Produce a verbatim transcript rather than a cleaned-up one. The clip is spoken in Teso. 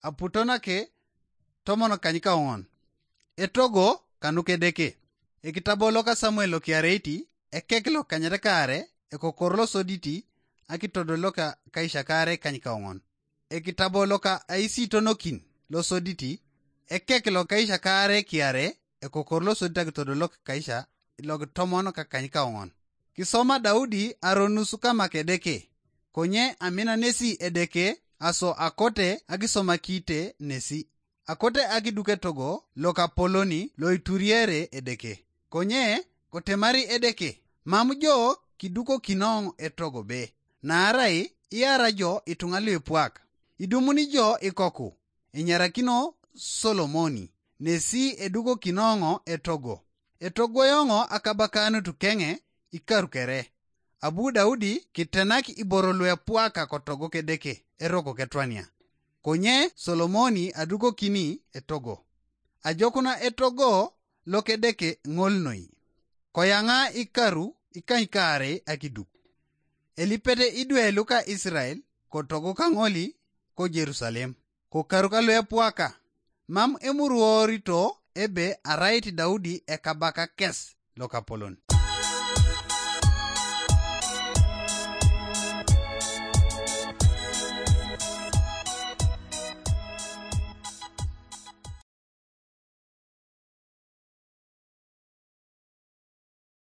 aputo nake tomon kanykaoŋon. Etogo kanuka Edeke. Ekitabo loka Samuel lokiareiti, ekek lokanyet kaare, ekokor losoditi, akitodol loka kaisha kaare kanykaoŋon. Ekitabo loka aisitonokin losoditi, ekek lokaisha kaare kiare, ekokor losoditi akitodol loka kaisha lokitomon kakanykaoŋon. Kisoma Daudi aronus kamak Edeke, konye amina nesi Edeke aso akote akisomakite nesi. Akote akiduk etogo lokapoloni loituriere Edeke. Konye kotemari Edeke, mam jo kidukokinoŋ etogo be, naarai iara jo ituŋa luipuak. Idumuni jo ikoku, enyarakino Solomoni, nesi edukokinoŋo etogo. Etogoyoŋo akabakanut keŋe ikaru kere. Abu Daudi kitenak iboro luepuaka kotogo kedeke eroko ketwania. Konye Solomoni adukokini etogo. Ajokuna etogo lokedeke ŋol noi. Koyaŋa ikaru ikanykaarei akiduk. Elipete idwe luka Israel kotogo kaŋoli ko Jerusalem, kokaru kaluepuaka. Mam emuruorito ebe arait Daudi ekabaka kes lokapolon.